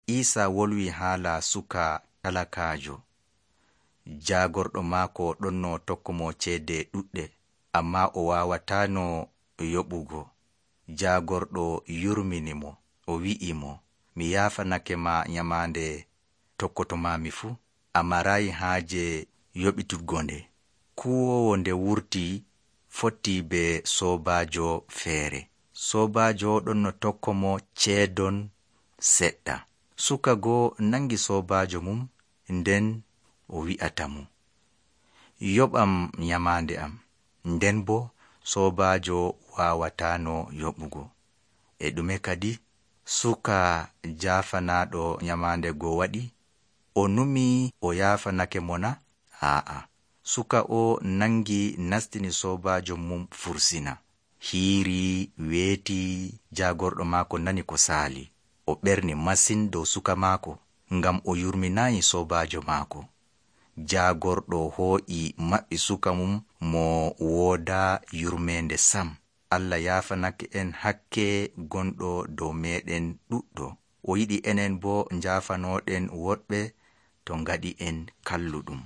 Iisa wolwi haala suka talakaajo. Jaagorɗo maako ɗonno tokko mo ceede ɗuɗɗe, ammaa o waawataano yoɓugo. Jaagorɗo yurmini mo, o wi'i mo, mi yaafanake ma nyamaande tokkotomaami fuu, a maraayi haaje yoɓituggo nde. Kuwoowo nde wurti fotti be soobaajo feere. Soobaajo ɗonno tokko mo ceedon seɗɗa. Suka goo nangi soobaajo mum, nden o wi'ata mo, yoɓam nyamaande am, nden boo soobaajo waawataano yoɓugo. E ɗume kadi? Suka jaafanaaɗo nyamaande goo waɗi, o numii o yaafanake mo na? Aa'a. Suka o nangi nastini soobaajo mum fursina. Hiiri weeti, jaagorɗo maako nani ko saali. O ɓerni masin dow suka maako, ngam o yurminaayi soobaajo maako. Jaagorɗo hoo'i maɓɓi suka mum mo woodaa yurmeende sam. Allah yaafanake en hakke gonɗo dow meeɗen ɗuɗɗo. O yiɗi enen boo njaafanooɗen woɗɓe to ngaɗi en kalluɗum.